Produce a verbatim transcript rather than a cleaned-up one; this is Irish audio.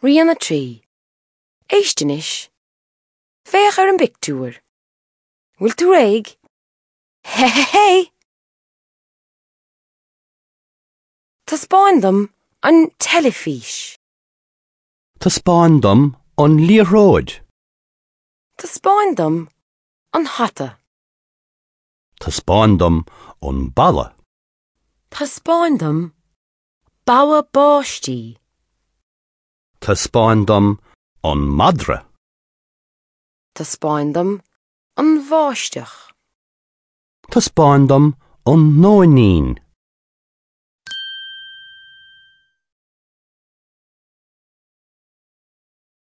Rian a trí. Éist anois. Féach ar an bpictiúr. Bhfuil tú réidh? Hé hé hé! Taispeáin dom an teilifís. Taispeáin dom an liathróid. Taispeáin dom an hata. Taispeáin dom an balla. Taispeáin dom bogha báistí. Taispeáin dom an madra. Taispeáin dom an bháisteach. Taispeáin dom an nóinín.